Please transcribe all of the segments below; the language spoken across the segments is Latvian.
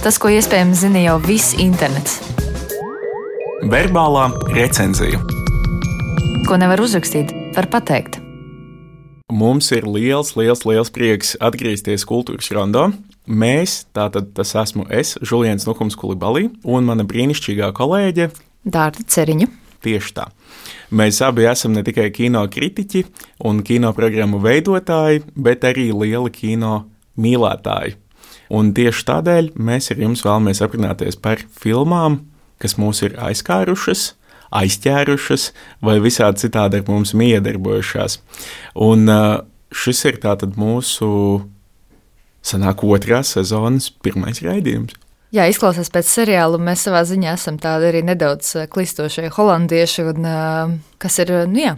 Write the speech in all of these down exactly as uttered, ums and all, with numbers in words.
Tas, ko iespējams zina jau viss internets. Verbālā recenzija. Ko nevar uzrakstīt, var pateikt. Mums ir liels, liels, liels prieks atgriezties Kultūras rondo. Mēs, tātad tas esmu es, Žuliens Nukums Kulibalī, un mana brīnišķīgā kolēģe Dārta Ceriņa. Tieši tā. Mēs abi esam ne tikai kino kritiķi un kino programmu veidotāji, bet arī lieli kino mīlētāji. Un tieši tādēļ mēs ar jums vēlamies aprunāties par filmām, kas mūs ir aizkārušas, aizķērušas vai visādi citādi ar mums miedarbojušās. Un šis ir tātad mūsu sanāk otrās sezonas pirmais raidījums. Jā, izklausās pēc seriāla, mēs savā ziņā esam tādi arī nedaudz klistošie holandieši, un, kas ir, nu jā,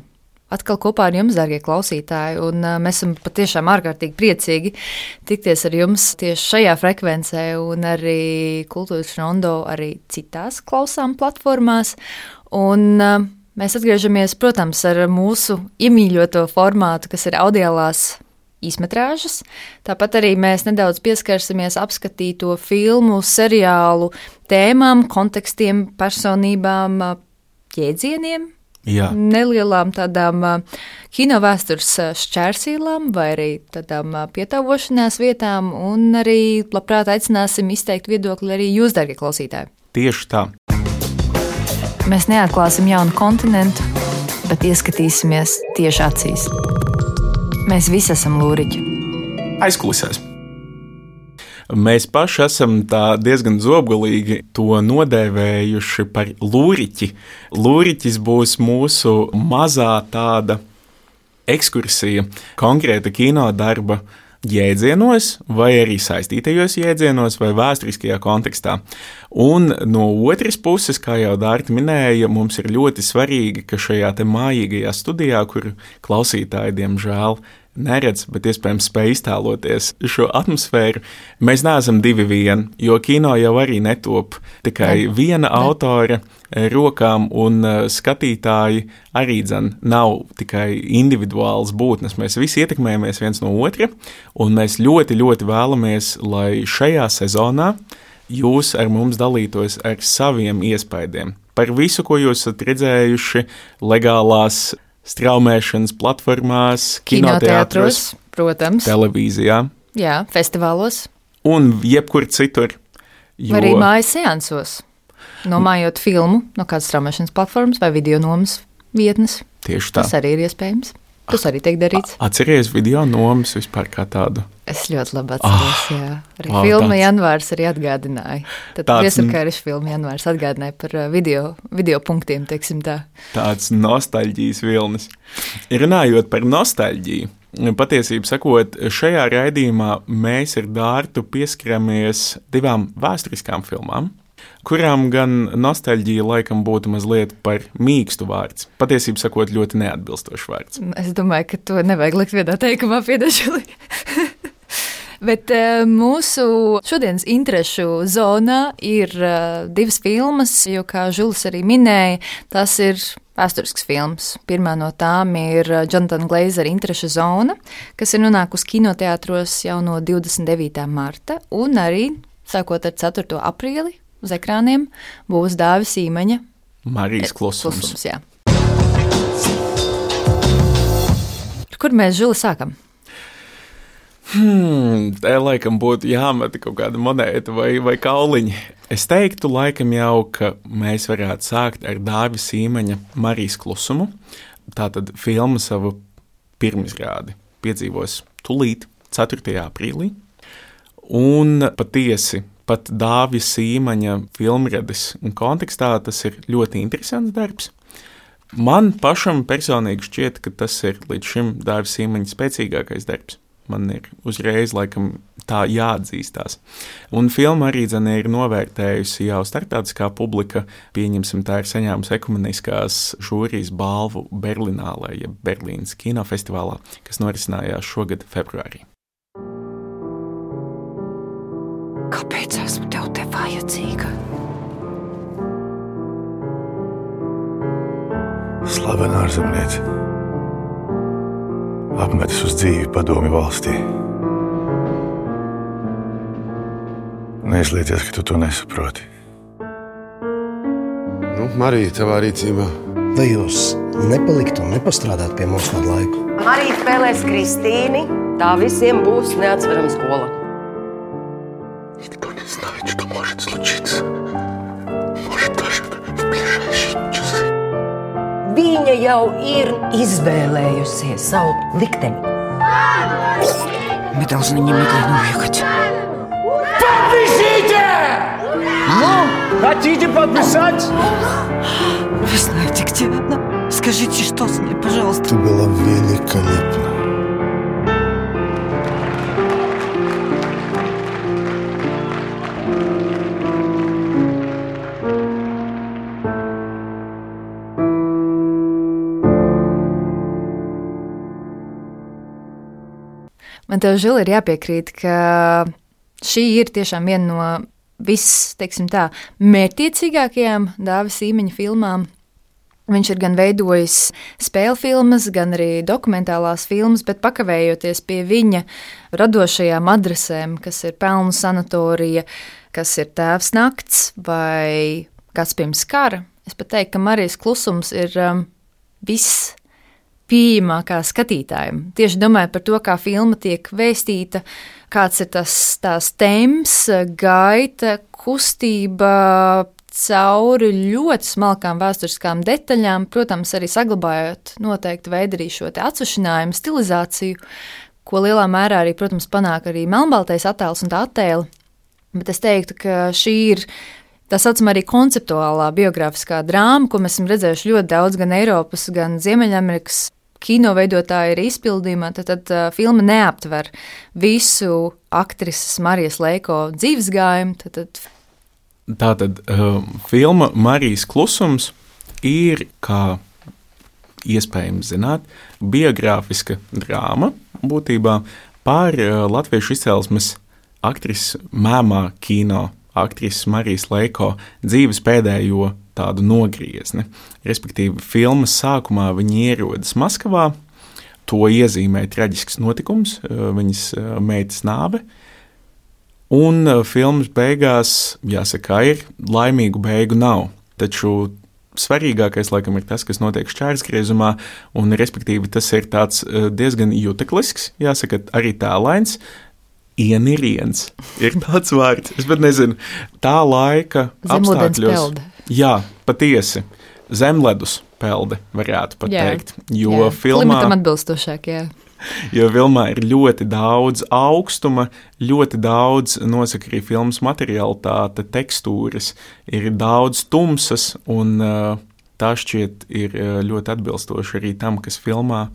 atkal kopā ar jums, dārgie klausītāji, un mēs esam patiešām ārkārtīgi priecīgi tikties ar jums tieši šajā frekvencē, un arī Kultūras rondo arī citās klausām platformās, un mēs atgriežamies, protams, ar mūsu iemīļoto formātu, kas ir audiālās īsmetrāžas. Tāpat arī mēs nedaudz pieskarsimies apskatīto filmu, seriālu tēmām, kontekstiem, personībām, jēdzieniem, Jā. Nelielām tādām kinovēstures šķērsīlām vai arī tādām pietāvošanās vietām, un arī labprāt aicināsim izteikt viedokli arī jūs, darbie klausītāji. Tieši tā. Mēs neatklāsim jaunu kontinentu, bet ieskatīsimies tieši acīs. Mēs visi esam lūriķi. Aizkulisēs. Mēs paši esam tā diezgan zobgalīgi to nodēvējuši par lūriķi. Lūriķis būs mūsu mazā tāda ekskursija konkrēta kinodarba jēdzienos, vai arī saistītajos jēdzienos, vai vēsturiskajā kontekstā. Un no otras puses, kā jau Dārta minēja, mums ir ļoti svarīgi, ka šajā te mājīgajā studijā, kur klausītāji, diemžēl, neredz, bet iespējams spēj iztēloties šo atmosfēru, mēs neesam divi vien, jo kino jau arī netop tikai ne, viena ne. autora rokām, un skatītāji arī dzen nav tikai individuāls būtnes. Mēs visi ietekmējamies viens no otra, un mēs ļoti, ļoti vēlamies, lai šajā sezonā jūs ar mums dalītos ar saviem iespaidiem par visu, ko jūs esat redzējuši legālās straumēšanas platformās, kinoteātros, protams, televīzijā, jā, festivālos un jebkur citur. Jo... Arī mājas seansos, nomājot filmu no kādas straumēšanas platformas vai video nomas vietnes. Tieši tā. Tas arī ir iespējams. Tas arī tiek darīts. Atceries video nomas vispār kā tādu? Es ļoti labi atceros, ah, jā. Arī oh, filma tāds... Janvārs arī atgādināja. Tad Viesarkāriša filma Janvārs atgādināja par video, video punktiem, teiksim tā. Tāds nostalģijas vilnis. Runājot par nostalģiju, patiesību sakot, šajā raidījumā mēs ar Dārtu pieskaramies divām vēsturiskām filmām, kurām gan nostalģija laikam būtu mazliet par mīkstu vārds. Patiesību sakot, ļoti neatbilstošs vārds. Es domāju, ka to nevajag likt vienā teikumā, piedašali. Bet uh, mūsu šodienas interešu zonā ir uh, divas filmas, jo, kā Žulis arī minēja, tas ir vēsturisks films. Pirmā no tām ir Jonathan Glazera interešu zona, kas ir nonākusi kinoteātros jau no divdesmit devītā marta, un arī, sākot ar ceturto aprīli, uz ekrāniem būs Dāvis Īmaņa Marijas klusums. klusums jā. Kur mēs, Žuli, sākam? Hmm, te laikam būtu jāmeta kaut kāda monēta vai, vai kauliņi. Es teiktu laikam jau, ka mēs varētu sākt ar Dāvis Īmaņa Marijas klusumu. Tātad filma savu pirmizrādi piedzīvos tulīt ceturtajā aprīlī. Un patiesi, pat Dāvis Īmaņa filmrades un kontekstā tas ir ļoti interesants darbs. Man pašam personīgi šķiet, ka tas ir līdz šim Dāvis Īmaņa spēcīgākais darbs. Man ir uzreiz laikam tā jāatzīstās. Un filma arī dzene ir novērtējusi jau starptautiskā publika, pieņemsim, tā ir saņēmusi ekumeniskās žūrijas balvu Berlinālē, ja Berlīnas kinofestivālā, kas norisinājās šogad februārī. Kāpēc esmu tev te vajadzīga? Slavena ārzemniece. Apmetis uz dzīvi padomju valstī. Neizlieties, ka tu to nesaproti. Nu, Marija, tavā rīcībā. Vai jūs nepaliktu un nepastrādāt pie mums kādu laiku? Marija spēlēs Kristīni. Tā visiem būs neatsverama skola. Никто не знает, что может случиться. Может, даже в ближайшие часы. Viņa jau ir izvēlējusies savu likteni. Мы должны немедленно уехать. Подпишите! Ну, хотите подписать? Вы знаете, где она? Скажите, что с ней, пожалуйста. Ты была великолепна. Man tev, Žil, ir jāpiekrīt, ka šī ir tiešām viena no viss, teiksim tā, mērķtiecīgākajām Dāvis Īmeņa filmām. Viņš ir gan veidojis spēļu filmas, gan arī dokumentālās filmas, bet pakavējoties pie viņa radošajām adresēm, kas ir Pelnu sanatorija, kas ir Tēvs nakts vai Kāds pirms kara, es pat teiktu, ka Marijas klusums ir um, viss pieejamākā skatītājiem. Tieši domāju par to, kā filma tiek vēstīta, kāds ir tas tās temps, gaita, kustība cauri ļoti smalkām vēsturiskām detaļām, protams, arī saglabājot noteikti veidu arī šo te atsušinājumu, stilizāciju, ko lielā mērā arī, protams, panāk arī melnbaltais attēls un tā attēli. Bet es teiktu, ka šī ir tā saucamā arī konceptuālā biogrāfiskā drāma, ko mēs esam redzējuši ļoti daudz gan Eiropas, gan Ziemeļamerikas kino veidotāji ir izpildījumā, tad, tad uh, filma neaptver visu aktrises Marijas Leiko dzīvesgājumu. Tad, tad... Tātad uh, filma Marijas klusums ir, kā iespējams zināt, biogrāfiska drāma būtībā par uh, latviešu izcelsmes aktrises mēmā kino aktrises Marijas Leiko dzīves pēdējo tādu nogriezni. Respektīvi, filmas sākumā viņa ierodas Maskavā, to iezīmē traģisks notikums, viņas meitas nāve, un filmas beigās, jāsaka, ir laimīgu beigu nav. Taču svarīgākais, laikam, ir tas, kas notiek šķērsgriezumā, un respektīvi tas ir tāds diezgan juteklisks, jāsaka, arī tēlains, ieniriens ir tāds vārds, es pat nezinu, tā laika apstākļos. Jā, patiesi. Zemledus pelde, varētu pat jā, teikt. Jo jā, filmā, klimatam atbilstošāk, jā. Jo filmā ir ļoti daudz augstuma, ļoti daudz, nosaka arī filmas materialitāte, tekstūras, ir daudz tumsas, un uh, tā šķiet ir ļoti atbilstoši arī tam, kas filmā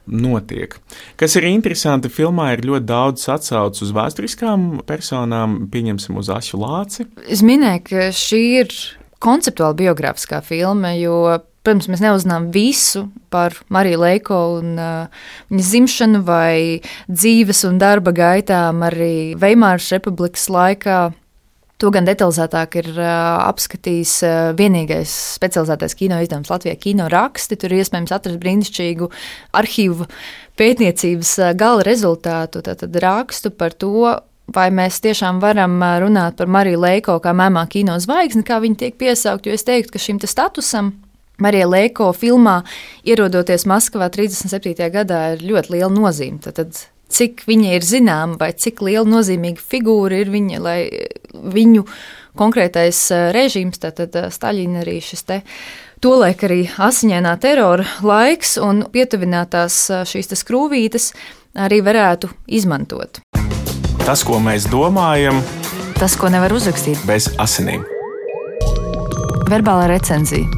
notiek. Kas ir interesanti, filmā ir ļoti daudz atsaucu uz vēsturiskām personām, pieņemsim uz Asu Lāci. Es minēju, ka šī ir konceptuāli biogrāfiskā filma, jo, protams, mēs neuzzinām visu par Mariju Leiko un uh, viņas dzimšanu vai dzīves un darba gaitām arī Veimāras republikas laikā. To gan detalizētāk ir uh, apskatījis uh, vienīgais specializētais kino izdevums Latvijā Kino raksti. Tur ir iespējams atrast brīnišķīgu arhīvu pētniecības uh, gala rezultātu, tātad rakstu par to, vai mēs tiešām varam runāt par Mariju Leiko kā mēmā kino zvaigzni, kā viņa tiek piesaukt, jo es teiktu, ka šim te statusam Marija Leiko filmā ierodoties Maskavā trīsdesmit septītajā gadā ir ļoti liela nozīme. Tad cik viņa ir zināma vai cik liela nozīmīga figūra ir viņa, lai viņu konkrētais režīms, tātad Staļina arī šis te tolaik arī asiņainā terora laiks un pietuvinātās šīs te skrūvītes arī varētu izmantot. Tas, ko mēs domājam, tas, ko nevar uzrakstīt bez asinīm. Verbālā recenzija.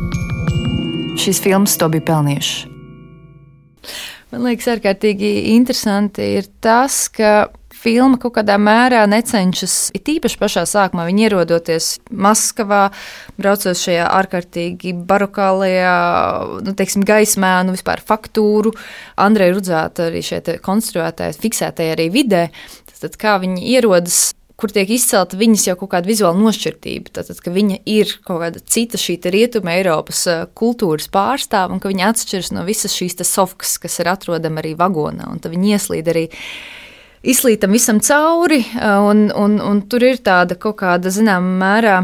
Šīs filmas to bija pelnījušas. Man liekas, ārkārtīgi interesanti ir tas, ka filma kaut kādā mērā necenšas, it īpaši pašā sākumā, viņi ierodoties Maskavā, braucot šajā ārkārtīgi barokālajā, nu, teiksim, gaismā, nu, vispār faktūru, Andreja Rudzāta arī šeit konstruētāja, fiksētajā arī vidē, tad kā viņi ierodas, kur tiek izcelta viņas jau kaut kāda vizuāla nošķirtība, tātad, ka viņa ir kaut kāda cita šī rietuma Eiropas kultūras pārstāva un ka viņa atšķiras no visas šīs sofkas, kas ir atrodama arī vagonā, un tad viņi ieslīd arī izslītam visam cauri, un, un, un tur ir tāda kaut kāda, zināmā mērā,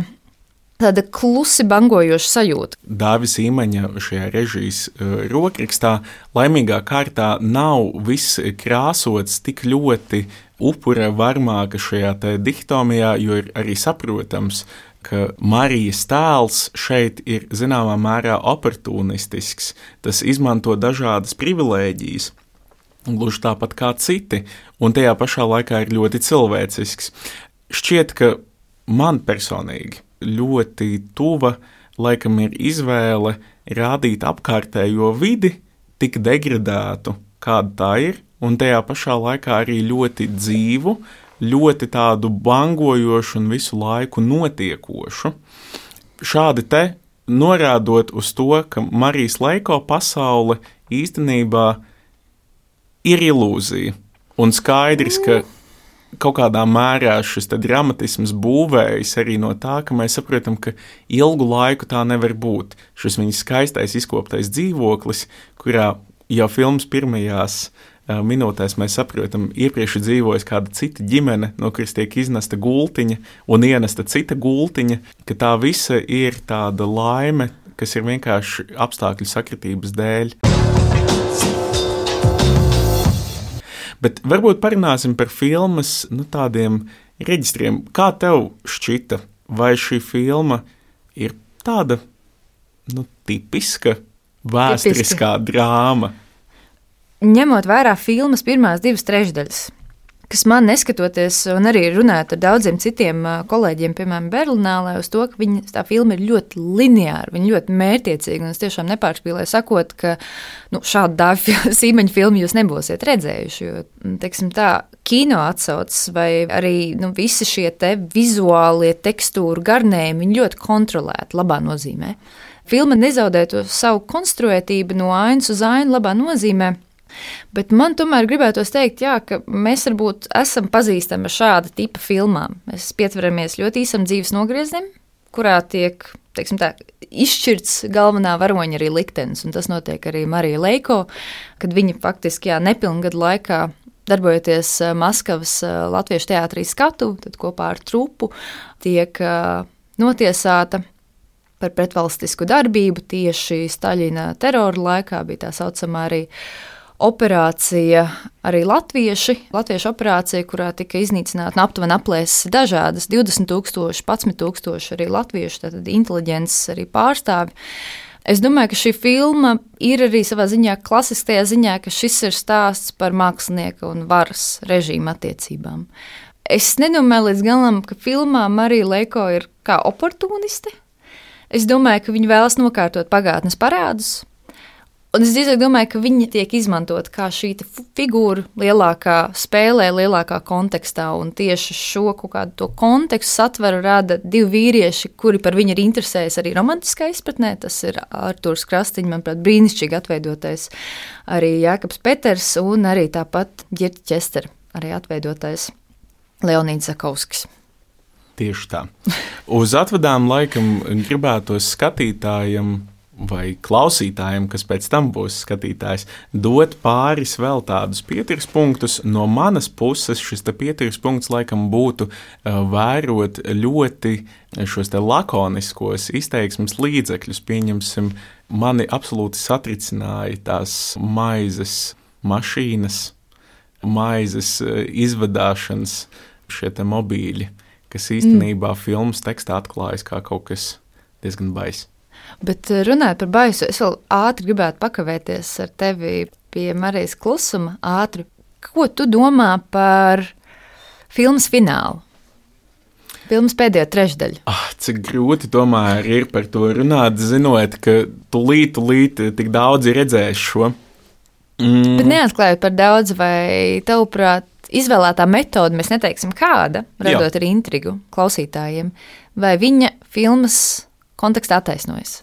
tāda klusi bangojoša sajūta. Dāvis Īmaņa šajā režijas uh, rokrakstā laimīgā kārtā nav viss krāsots tik ļoti upura varmāka šajā te dihtomijā, jo ir arī saprotams, ka Marijas tēls šeit ir zināmā mērā oportunistisks. Tas izmanto dažādas privilēģijas, gluži tāpat kā citi, un tajā pašā laikā ir ļoti cilvēcisks. Šķiet, ka man personīgi ļoti tuva laikam ir izvēle rādīt apkārtējo vidi tik degradētu, kāda tā ir, un tajā pašā laikā arī ļoti dzīvu, ļoti tādu bangojošu un visu laiku notiekošu. Šādi te norādot uz to, ka Marijas Leiko pasaule īstenībā ir ilūzija, un skaidrs, ka kaut kādā mērā šis dramatisms būvējas arī no tā, ka mēs saprotam, ka ilgu laiku tā nevar būt. Šis viņas skaistais izkoptais dzīvoklis, kurā jau filmas pirmajās uh, minūtēs mēs saprotam, iepriekš dzīvojas kāda cita ģimene, no kuras tiek iznesta gultiņa un ienesta cita gultiņa, ka tā visa ir tāda laime, kas ir vienkārši apstākļu sakritības dēļ. Bet varbūt parunāsim par filmas nu, tādiem reģistriem. Kā tev šķita, vai šī filma ir tāda nu, tipiska, vēsturiskā Tipiski. drāma? Ņemot vērā filmas pirmās divas trešdaļas, kas man neskatoties, un arī runājot ar daudziem citiem kolēģiem, piemēram, Berlinālē, uz to, ka viņa, tā filma ir ļoti lineāra, viņa ļoti mērķiecīga, un es tiešām nepārspīlēju sakot, ka nu, šādu Dāvis Īmaņa filmu jūs nebūsiet redzējuši, jo, teiksim tā, kino atsaucas vai arī nu, visi šie te vizuālie tekstūru garnējumi, viņi ļoti kontrolēti, labā nozīmē. Filma nezaudē to savu konstruētību no ainas uz ainu labā nozīmē, bet man tomēr gribētos teikt, jā, ka mēs varbūt esam pazīstami ar šāda tipa filmām. Mēs pietveramies ļoti īsam dzīves nogrieznim, kurā tiek, teiksim tā, izšķirts galvenā varoņa arī liktenis, un tas notiek arī Marija Leiko, kad viņa faktiski, jā, nepilngadu laikā darbojoties Maskavas Latviešu teātrī skatu, tad kopā ar trupu tiek notiesāta par pretvalstisku darbību tieši Staļina terora laikā, bija tā saucamā arī operācija, arī latvieši, latviešu operācija, kurā tika iznīcināta aptuveni aplēses dažādas, divdesmit tūkstoši, padsmit tūkstoši arī latviešu, tātad inteliģences arī pārstāvi. Es domāju, ka šī filma ir arī savā ziņā klasiskajā ziņā, ka šis ir stāsts par mākslinieka un varas režīmu attiecībām. Es nedomāju līdz galam, ka filmā Marija Leiko ir kā oportuniste. Es domāju, ka viņa vēlas nokārtot pagātnes parādus, un es drīzāk domāju, ka viņa tiek izmantot kā šī figūra lielākā spēlē, lielākā kontekstā, un tieši šo kaut kādu to kontekstu satveru rada divi vīrieši, kuri par viņu ir interesējas arī romantiskā izpratnē. Tas ir Artūrs Krastīņš, manuprāt, brīnišķīgi atveidotais, arī Jākaps Peters un arī tāpat Ģirta Ķestera, arī atveidotais Leonīds Zakovskis. Tieši tā. Uz atvadām laikam gribētos skatītājiem vai klausītājiem, kas pēc tam būs skatītājs, dot pāris vēl tādus pieturas punktus. No manas puses šis te pieturas punkts laikam būtu uh, vērot ļoti šos te lakoniskos izteiksmes līdzekļus. Pieņemsim, mani absolūti satricināja tās maizes mašīnas, maizes uh, izvadāšanas šie te mobīļi, kas īstenībā mm. filmas tekstā atklājas kā kaut kas diezgan bais. Bet runājot par baisu, es vēl ātri gribētu pakavēties ar tevi pie Marijas klusuma ātri. Ko tu domā par filmas finālu? Filmas pēdējo trešdaļu. Ah, cik grūti tomēr ir par to runāt, zinot, ka tūlīt, tūlīt tik daudz ir redzējis šo. Mm. Bet neatklājot par daudz, vai tavuprāt izvēlētā metode, mēs neteiksim kāda, radot Jā. Arī intrigu klausītājiem, vai viņa filmas kontekstā attaisnojas?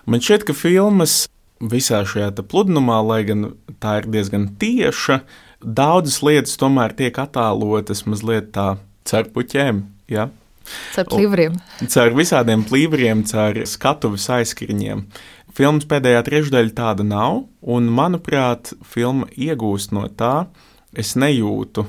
Man šķiet, ka filmas visā šajā pludinumā, lai gan tā ir diezgan tieša, daudzas lietas tomēr tiek attēlotas mazliet tā caur puķēm. Ja? Caur plīvriem. Caur visādiem plīvriem, caur skatuves aizskriņiem. Filmas pēdējā trešdaļa tāda nav, un, manuprāt, filma iegūst no tā. Es nejūtu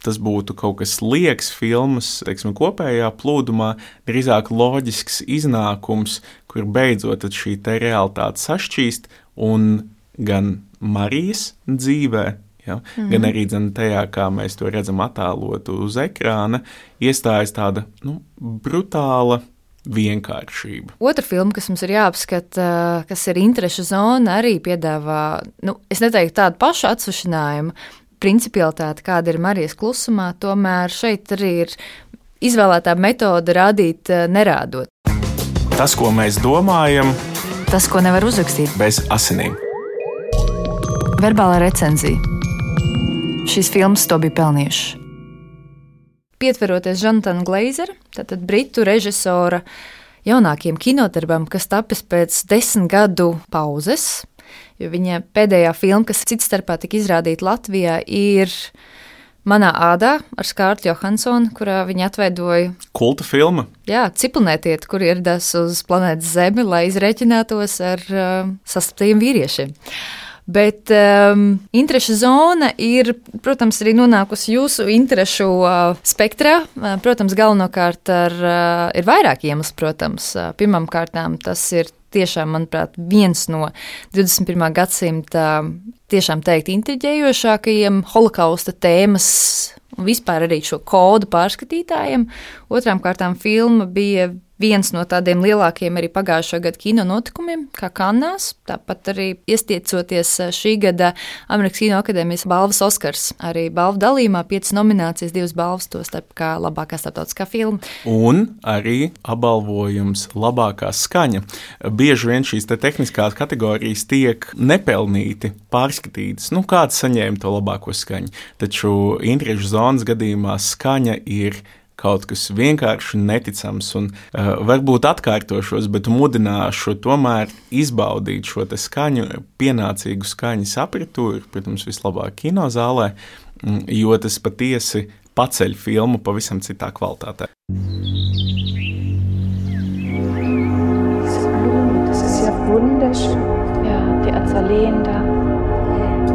tas būtu kaut kas liekas filmas, teiksim, kopējā plūdumā, drīzāk loģisks iznākums, kur beidzot šī te realitāte sašķīst, un gan Marijas dzīvē, ja, mm-hmm. gan arī dzen tajā, kā mēs to redzam attēlotu uz ekrāna, iestājas tāda, nu, brutāla vienkāršība. Otra filma, kas mums ir jāapskata, kas ir interešu zona, arī piedāvā, nu, es neteiktu tādu pašu atsvašinājumu, principialitāti, kāda ir Marijas klusumā, tomēr šeit arī ir izvēlētā metode rādīt nerādot. Tas, ko mēs domājam, tas, ko nevar uzrakstīt bez asinīm. Verbālā recenzija. Šīs filmas to bija pelnījušas. Pietveroties Jonatana Glazera, tātad britu režisora jaunākiem kinodarbam, kas tapis pēc desmit gadu pauzes, jo viņa pēdējā filma, kas cits starpā tika izrādīta Latvijā, ir Manā ādā ar Skārleti Johansonu, kurā viņa atveidoja kulta filma. Jā, ciprunētieti, kur ieradās uz planētas Zemi, lai izreķinātos ar uh, sastaptajiem vīriešiem. Bet um, interešu zona ir, protams, arī nonākusi jūsu interešu uh, spektrā. Uh, protams, galvenokārt ar, uh, ir vairāk iemeslu, protams. Uh, pirmām kārtām tas ir tiešām, manuprāt, viens no divdesmit pirmā gadsimta tiešām teikt intriģējošākajiem holokausta tēmas un vispār arī šo kodu pārskatītājiem. Otrām kārtām filma bija viens no tādiem lielākiem arī pagājušā gada kino notikumiem, kā Kannās, tāpat arī iestiecoties šī gada Amerikas Kino akadēmijas balvas Oskars. Arī balvu dalījumā piecas nominācijas, divas balvas, to starp kā labākā starptautiskā filma. Un arī apbalvojums labākā skaņa. Bieži vien šīs te tehniskās kategorijas tiek nepelnīti pārskatītas. Nu, kāds saņēma to labāko skaņu? Taču interešu zonas gadījumā skaņa ir kaut kas vienkārši neticams, un uh, varbūt atkārtošos, bet mudināšu tomēr izbaudīt šo te skaņu, pienācīgu skaņas apritūru, protams, vislabāk kinozālē, jo tas patiesi paceļ filmu pavisam citā kvalitātē. Das ist ja wunderschön. Ja, die Azaleen da.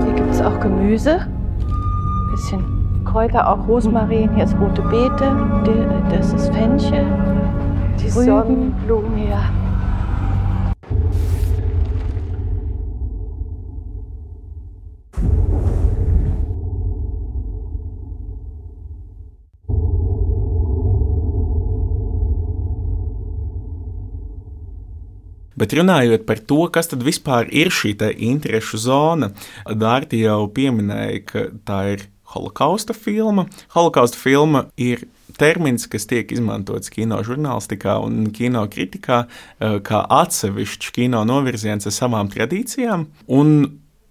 Hier gibt es auch Gemüse. Bisschen Kräuter, auch Rosmarin, hier ist rote Beete, das ist Fenchel, die Sonnenblumen, ja. Bet runājot par to, kas tad vispār ir šī te interešu zona, Dārti jau pieminēja, ka tā ir holokausta filma. Holokausta filma ir termins, kas tiek izmantots kino žurnālistikā un kino kritikā kā atsevišķs kino novirziens ar savām tradīcijām, un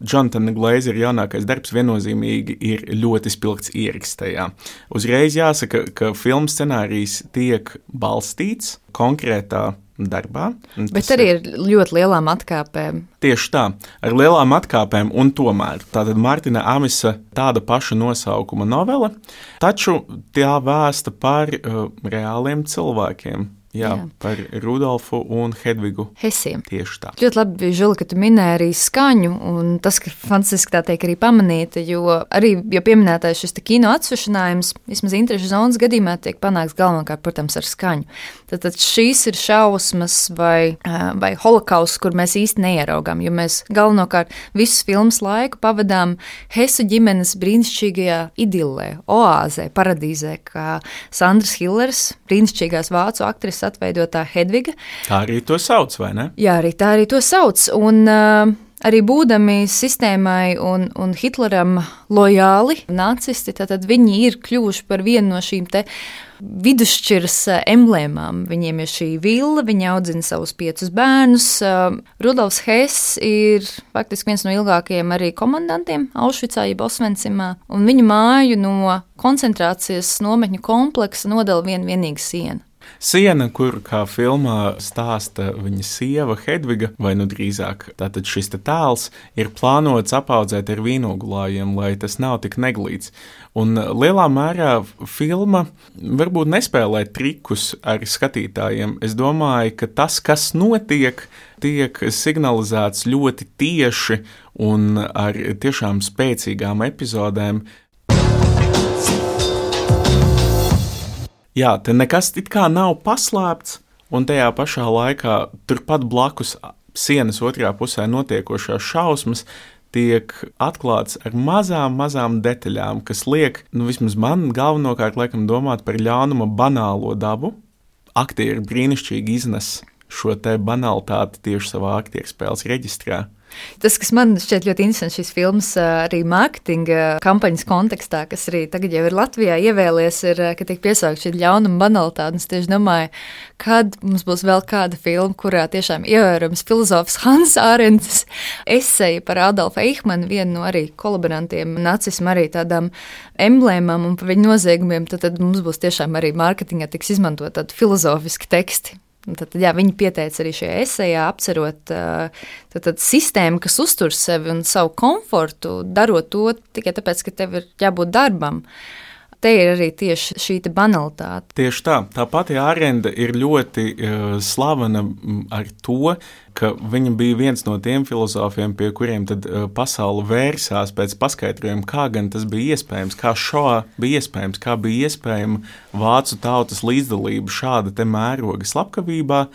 Jonatana Glazera jaunākais darbs viennozīmīgi ir ļoti spilgts ieraksts tajā. Uzreiz jāsaka, ka filmas scenārijs tiek balstīts konkrētā darbā. Bet arī ir ļoti lielām atkāpēm. Tieši tā, ar lielām atkāpēm, un tomēr tātad Mārtiņa Amisa tāda paša nosaukuma novele, taču tā vēsta par uh, reāliem cilvēkiem. Jā, jā, par Rudolfu un Hedvigu Hesiem. Tieši tā. Ļoti labi, Žuli, ka tu minēji arī skaņu, un tas, ka fantastiski tā tiek arī pamanīta, jo arī, jo pieminētais šis te kino atsvašinājums, vismaz interešu zonas gadījumā tiek panāks galvenokārt, protams, ar skaņu. Tātad šīs ir šausmas vai, vai holokausts, kur mēs īsti neieraugām, jo mēs galvenokārt visus filmas laiku pavadām Hesu ģimenes brīnišķīgajā idillē, oāzē, paradīzē, kā Sandras Hillers, brīnišķīgās vācu aktrises atveidotā Hedviga. Tā arī to sauc, vai ne? Jā, arī tā arī to sauc. Un uh, arī būdami sistēmai un, un Hitleram lojāli nacisti, tad viņi ir kļuvuši par vienu no šīm te vidusšķiras emblēmām. Viņiem ir šī villa, viņi audzina savus piecus bērnus. Uh, Rudolfs Hess ir faktiski viens no ilgākajiem arī komandantiem Aušvicā, jeb Osvencimā, un viņu māju no koncentrācijas nometņu kompleksa nodala vien vienīga siena. Siena, kur, kā filmā stāsta viņa sieva Hedviga, vai nu drīzāk tātad šis te tēls, ir plānots apaudzēt ar vīnogulājiem, lai tas nav tik neglīts. Un lielā mērā filma varbūt nespēlē trikus ar skatītājiem. Es domāju, ka tas, kas notiek, tiek signalizēts ļoti tieši un ar tiešām spēcīgām epizodēm. Jā, te nekas it kā nav paslēpts, un tajā pašā laikā turpat blakus sienas otrā pusē notiekošās šausmas tiek atklāts ar mazām, mazām detaļām, kas liek, nu vismaz man galvenokārt laikam domāt par ļaunuma banālo dabu. Aktieri brīnišķīgi iznes šo te banalitāti tieši savā aktierspēles reģistrā. Tas, kas man šķiet ļoti interesants šīs filmas arī mārketinga kampaņas kontekstā, kas arī tagad jau ir Latvijā ievēlies, ir, ka tiek piesaukt šī ļaunuma banalitāte. Es tieši domāju, kad mums būs vēl kāda filma, kurā tiešām ievērojams filozofs Hans Ārents eseja par Adolfu Eichmannu, vienu no arī kolaborantiem nacismu, arī tādām emblēmām un par viņu noziegumiem, tad, tad mums būs tiešām arī mārketingā tiks izmantot tādi filozofiski teksti. Tad, jā, viņi pieteica arī šajā esejā, apcerot tad, tad sistēmu, kas uztur sevi un savu komfortu, darot to tikai tāpēc, ka tev ir jābūt darbam. Te ir arī tieši šī banalitāte. Tieši tā. Tā pati Ārenda ir ļoti uh, slavena ar to, ka viņa bija viens no tiem filozofiem, pie kuriem tad uh, pasaule vērsās pēc paskaidrojuma, kā gan tas bija iespējams, kā šo bija iespējams, kā bija iespējama vācu tautas līdzdalība šāda te mēroga slepkavībā.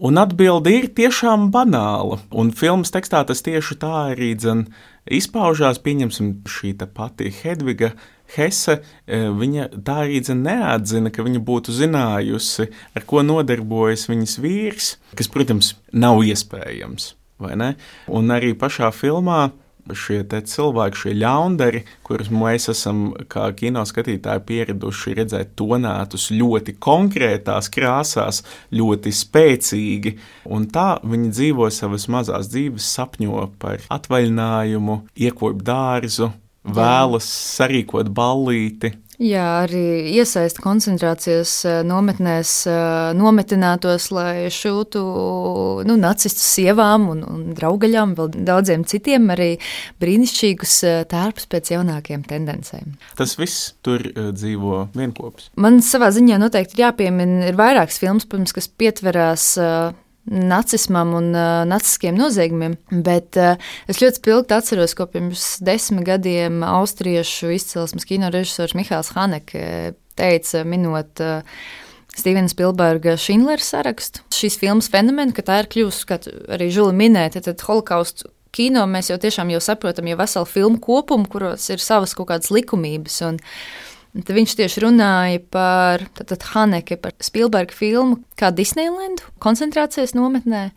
Un atbilde ir tiešām banāla. Un filmas tekstā tas tieši tā arī dzen izpaužās. Pieņemsim šī te pati Hedviga Hese, viņa tā arī dzen neatzina, ka viņa būtu zinājusi, ar ko nodarbojas viņas vīrs, kas, protams, nav iespējams, vai ne? Un arī pašā filmā šie te cilvēki, šie ļaundari, kurus mēs esam kā kino skatītāji pieraduši redzēt tonētus ļoti konkrētās krāsās, ļoti spēcīgi, un tā viņi dzīvo savas mazās dzīves, sapņo par atvaļinājumu, iekop dārzu, vēlas sarīkot ballīti. Jā, arī iesaist koncentrācijas nometnēs nometinātos, lai šūtu nu, nacistu sievām un, un draugaļām, vēl daudziem citiem arī brīnišķīgus tērpus pēc jaunākiem tendencēm. Tas viss tur dzīvo vienkopis. Man savā ziņā noteikti ir jāpiemina, ir vairākas filmas, protams, kas pietverās nacismam un uh, naciskiem noziegumiem, bet uh, es ļoti spilgti atceros, ko pirms desmit gadiem austriešu izcelsmes kino režisors Mihails Haneke teica, minot uh, Stevena Spilberga Šindlera sarakstu. Šīs filmas fenomena, ka tā ir kļūst, kā arī Žuli minēja, tad holokaustu kino mēs jau tiešām jau saprotam jau veselu filmu kopumu, kuros ir savas kaut kādas likumības, un tad viņš tieši runāja par tātad Haneke, par Spilberga filmu kā Disneylandu koncentrācijas nometnē.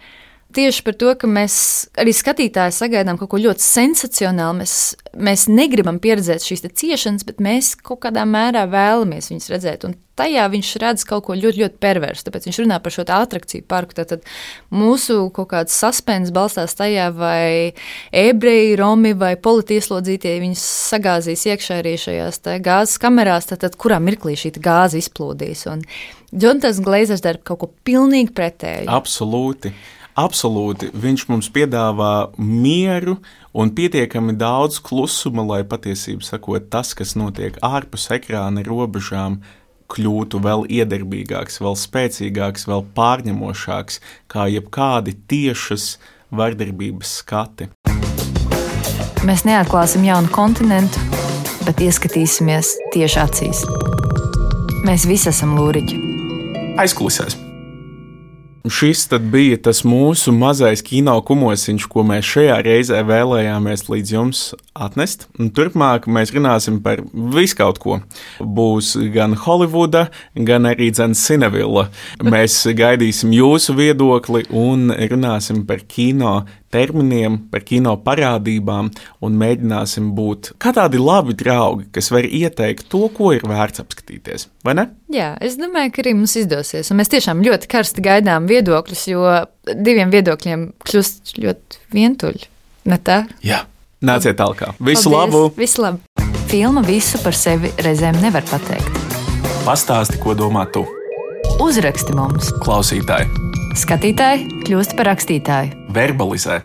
Tieši par to, ka mēs arī skatītāji sagaidām kaut ko ļoti sensacionālu. Mēs, mēs negribam pieredzēt šīs ciešanas, bet mēs kaut kādā mērā vēlamies viņus redzēt. Un tajā viņš redz kaut ko ļoti, ļoti perversu. Tāpēc viņš runā par šo atrakciju parku. Tātad mūsu kaut kāds suspens balstās tajā, vai ebreji, romi vai politieslodzītie viņus sagāzīs iekšā arī šajās gāzes kamerās, tātad kurā mirklī šī gāze izplūdīs. Un Jonatans Glazers dara kaut ko pilnīgi pretēju. Absolūti. Absolūti, viņš mums piedāvā mieru un pietiekami daudz klusuma, lai patiesību sakot, tas, kas notiek ārpus ekrāna robežām, kļūtu vēl iedarbīgāks, vēl spēcīgāks, vēl pārņemošāks, kā jebkādi tiešas vardarbības skati. Mēs neatklāsim jaunu kontinentu, bet ieskatīsimies tieši acīs. Mēs visi esam lūriķi. Aizkulisēs. Šis tad bija tas mūsu mazais kino kumosiņš, ko mēs šajā reizē vēlējāmies līdz jums atnest. Un turpmāk mēs runāsim par visu kaut ko. Būs gan Holivuda, gan arī dzen Cinevilla. Mēs gaidīsim jūsu viedokli un runāsim par kino terminiem, par kino parādībām un mēģināsim būt kā tādi labi draugi, kas var ieteikt to, ko ir vērts apskatīties, vai ne? Jā, es domāju, ka arī mums izdosies, un mēs tiešām ļoti karsti gaidām viedokļus, jo diviem viedokļiem kļūst ļoti vientuļi, ne tā? Jā, nāciet tālāk. Visu Paldies, labu! Visu labu! Filma visu par sevi reizēm nevar pateikt. Pastāsti, ko domā tu. Uzraksti mums! Klausītāji! Skatītāji kļūst par rakstītāju. Verbalizē!